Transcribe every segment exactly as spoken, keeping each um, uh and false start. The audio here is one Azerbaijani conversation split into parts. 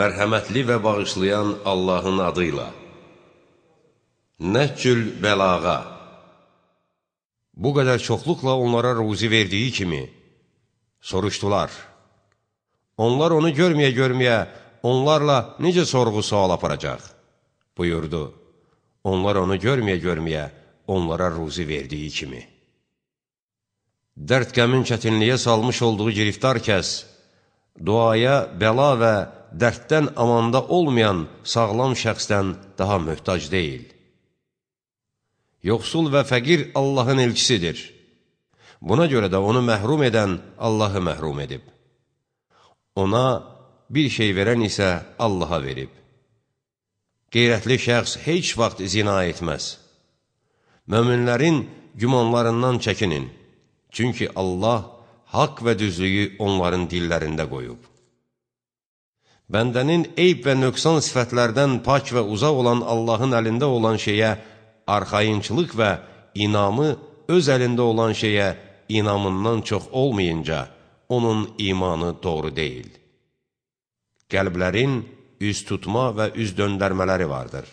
Mərhəmətli və bağışlayan Allahın adıyla. Nəhcül bəlağa. Bu qədər çoxluqla onlara ruzi verdiyi kimi soruşdular. Onlar onu görməyə-görməyə onlarla necə sorğu-sual aparacaq? Buyurdu. Onlar onu görməyə-görməyə onlara ruzi verdiyi kimi. Dərd-qəmin çətinliyə salmış olduğu giriftar kəs, duaya, bəla və dərddən amanda olmayan sağlam şəxsdən daha möhtac deyil. Yoxsul və fəqir Allahın elçisidir. Buna görə də onu məhrum edən Allahı məhrum edib. Ona bir şey verən isə Allaha verib. Qeyrətli şəxs heç vaxt zina etməz. Möminlərin gümanlarından çəkinin. Çünki Allah haqq və düzlüyü onların dillərində qoyub. Bəndənin eyb və nöqsan sifətlərdən pak və uzaq olan Allahın əlində olan şeyə arxayınçılıq və inamı öz əlində olan şeyə inamından çox olmayınca onun imanı doğru deyil. Qəlblərin üz tutma və üz döndərmələri vardır.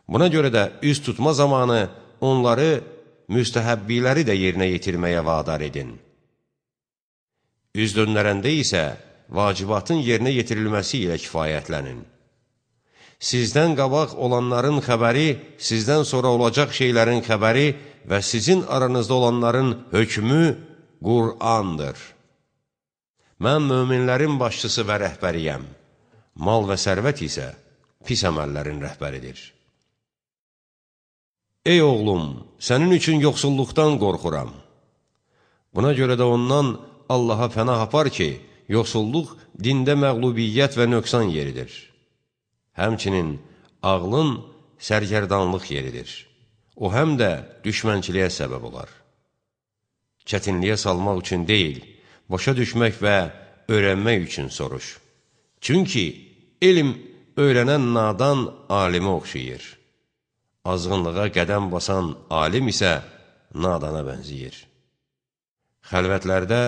Buna görə də üz tutma zamanı onları müstəhəbbiləri də yerinə yetirməyə vadar edin. Üz döndərəndə isə vacibatın yerinə yetirilməsi ilə kifayətlənin. Sizdən qabaq olanların xəbəri, sizdən sonra olacaq şeylərin xəbəri və sizin aranızda olanların hökmü Qur'andır. Mən möminlərin başçısı və rəhbəriyəm. Mal və sərvət isə pis əməllərin rəhbəridir. Ey oğlum, sənin üçün yoxsulluqdan qorxuram. Buna görə də ondan Allaha pənah apar ki, yoxsulluq dində məğlubiyyət və nöqsan yeridir. Həmçinin ağlın sərgərdanlıq yeridir. O həm də düşmənçiliyə səbəb olar. Çətinliyə salmaq üçün deyil, başa düşmək və öyrənmək üçün soruş. Çünki elm öyrənən nadan alimə oxşayır. Azğınlığa qədəm basan alim isə nadana bənziyir. Xəlvətlərdə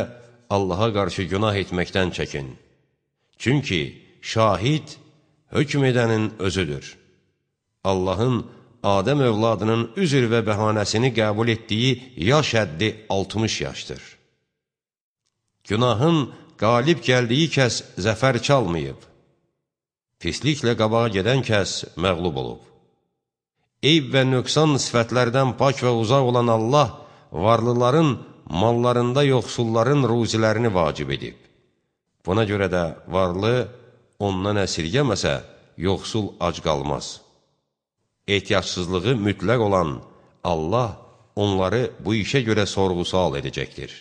Allaha qarşı günah etməkdən çəkin. Çünki şahid hökm edənin özüdür. Allahın Adəm övladının üzr və bəhanəsini qəbul etdiyi yaş həddi altmış yaşdır. Günahın qalib gəldiyi kəs zəfər çalmayıb. Pisliklə qabağa gedən kəs məğlub olub. Eyb və nöqsan sifətlərdən pak və uzaq olan Allah varlıların mallarında yoxsulların ruzilərini vacib edib. Buna görə də varlı ondan əsirgəməsə, yoxsul ac qalmaz. Ehtiyacsızlığı mütləq olan Allah onları bu işə görə sorğu-sual edəcəkdir.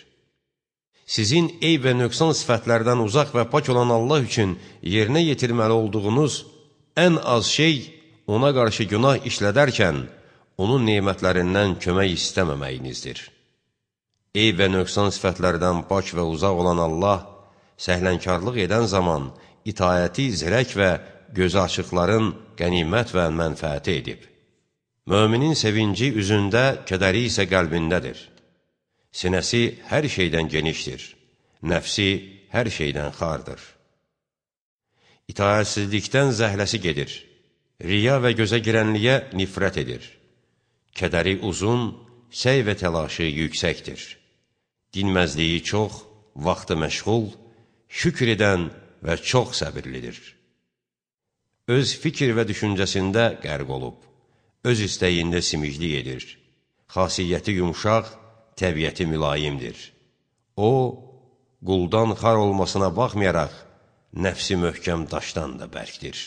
Sizin eyb və nöqsan sifətlərdən uzaq və pak olan Allah üçün yerinə yetirməli olduğunuz ən az şey ona qarşı günah işlədərkən onun nemətlərindən kömək istəməməyinizdir. Eyb və nöqsan sifətlərdən pak və uzaq olan Allah səhlənkarlıq edən zaman itayəti zirək və gözü açıqların qənimət və mənfəəti edib. Möminin sevinci üzündə, kədəri isə qəlbindədir. Sinəsi hər şeydən genişdir, nəfsi hər şeydən xardır. İtayətsizlikdən zəhləsi gedir, riya və gözə girənliyə nifrət edir. Kədəri uzun, səy və təlaşı yüksəkdir. Dinməzliyi çox, vaxtı məşğul, şükür edən və çox səbirlidir. Öz fikir və düşüncəsində qərq olub, öz istəyində simiclik edir. Xasiyyəti yumşaq, təbiəti mülayimdir. O, quldan xar olmasına baxmayaraq, nəfsi möhkəm daşdan da bərkdir.